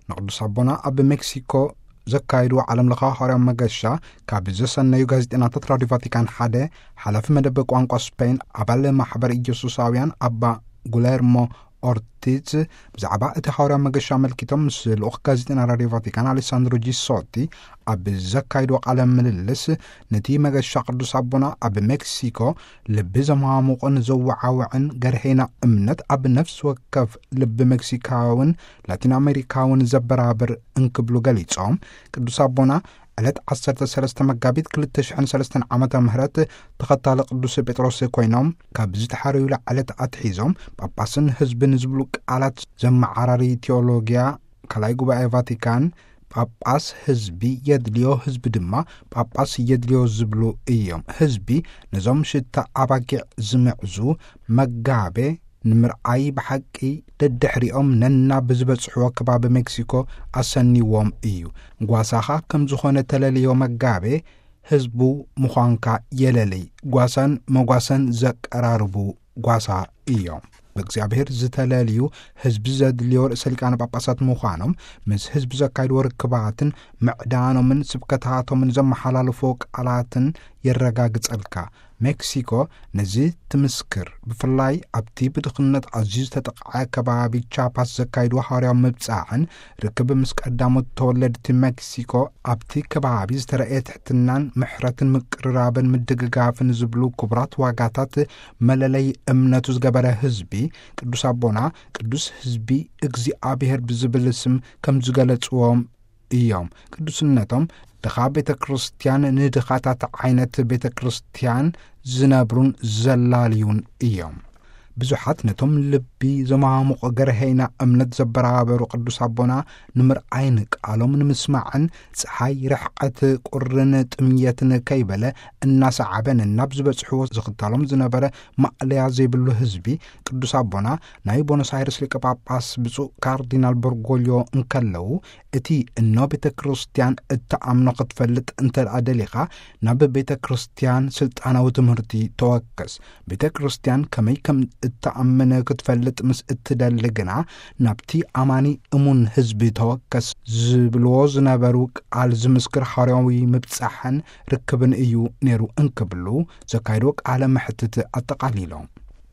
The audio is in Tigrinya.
ንቅዱስ ኣቦና ኣብ ሜክሲኮ ዘካይድዎ ዓለም ለኻዊ ሐዋርያዊ መገሻ ካብ ዘሰነዩ ጋዜጠናታት ራዲዮ ቫቲካን ሓደ፣ ሓላፊ መደብ ቋንቋ ስፔን፣ ኣባል ማሕበር ኢየሱሳውያን ኣባ ጉለርሞ ኦርቲዝ፣ ብዛዕባ እቲ ሐዋርያዊ መገሻ ኣመልኪቶም ምስ ልኡኽ ጋዜጠና ራዲዮ ቫቲካን ኣሌሳንድሮ ጂሶቲ ኣብ ዘካይድዎ ቃለ ምልልስ፣ ነቲ መገሻ ቅዱስ ኣቦና ኣብ ሜክሲኮ ልቢ ዘማሙቕን ዘወዓውዕን ገርሄና እምነት ኣብ ነፍሲ ወከፍ ልቢ ሜክሲካውን ላቲን ኣሜሪካውን ዘበራብር እንክብሉ ገሊጾም፣ ቅዱስ ኣቦና ዕለት ዓሰርተ ሰለስተ መጋቢት ክልተ ሽሕን ሰለስተን ዓመተ ምህረት ተኸታሊ ቅዱስ ጴጥሮስ ኮይኖም፣ ካብ ዝተሓረዩላ ዕለት ኣትሒዞም ጳጳስን ህዝብን ዝብሉ ቃላት ዘመዓራሪ ቴዎሎጊያ ካልኣይ ጉባኤ ቫቲካን፣ ጳጳስ ህዝቢ የድልዮ፣ ህዝቢ ድማ ጳጳስ የድልዮ ዝብሉ እዮም። ህዝቢ ነዞም ሽታ ኣባጊዕ ዝምዕዙ መጋቤ ንምርኣይ ብሓቂ ደድሕሪኦም ነናብ ዝበጽሕዎ ከባቢ ሜክሲኮ ኣሰኒዎም እዩ። ጓሳኻ ከም ዝኾነ ተለልዮ መጋቤ ህዝቡ ምዃንካ የለልይ። ጓሳን መጓሰን ዘቀራርቡ ጓሳ እዮም። ብእግዚኣብሔር ዝተለልዩ ህዝቢ ዘድልዮ ርእሰ ሊቃነ ጳጳሳት ምዃኖም፣ ምስ ህዝቢ ዘካይድዎ ርክባትን ምዕዳኖምን ስብከታቶምን ዘመሓላልፎ ቃላትን የረጋግጸልካ። ሜክሲኮ ነዚ ትምስክር። ብፍላይ ኣብቲ ብድኽነት ኣዝዩ ዝተጠቕዐ ከባቢ ቻፓስ ዘካይድዎ ሐዋርያዊ ምብጻሕን ርክብ ምስ ቀዳሞት ተወለድቲ ሜክሲኮ ኣብቲ ከባቢ ዝተረእየ ትሕትናን ምሕረትን ምቅርራብን ምድግጋፍን ዝብሉ ክቡራት ዋጋታት መለለይ እምነቱ ዝገበረ ህዝቢ፣ ቅዱስ ኣቦና ቅዱስ ህዝቢ እግዚኣብሔር ብዝብል ስም ከም ዝገለጽዎም እዮም። ቅዱስነቶም ድኻ ቤተ ክርስቲያን ንድኻታት ዓይነት ቤተ ክርስቲያን ዝነብሩን ዘላልዩን እዮም። ብዙሓት ነቶም ልቢ ዘማሙቕ ገርሄና እምነት ዘበራበሩ ቅዱስ ኣቦና ንምርኣይን ቃሎም ንምስማዕን፣ ፀሓይ ርሕቀት ቁርን ጥምየትን ከይበለ እናሰዓበን ናብ ዝበጽሕዎ ዝኽተሎም ዝነበረ ማእለያ ዘይብሉ ህዝቢ፣ ቅዱስ ኣቦና ናይ ቦኖስ ኣይርስ ሊቀ ጳጳስ ብፁዕ ካርዲናል በርጎልዮ እንከለዉ፣ እቲ እኖ ቤተ ክርስቲያን እትኣምኖ ክትፈልጥ እንተ ደኣ ደሊኻ፣ ናብ ቤተ ክርስቲያን ስልጣናዊ ትምህርቲ ተወከስ። ቤተ ክርስቲያን ከመይ ከም እትኣምን ክትፈልጥ ምስ እትደሊ ግና፣ ናብቲ ኣማኒ እሙን ህዝቢ ተወከስ ዝብልዎ ዝነበሩ ቃል ዝምስክር ሐዋርያዊ ምብጻሕን ርክብን እዩ ነይሩ እንክብሉ ዘካይድዎ ቃለ መሕትት ኣጠቓሊሎም።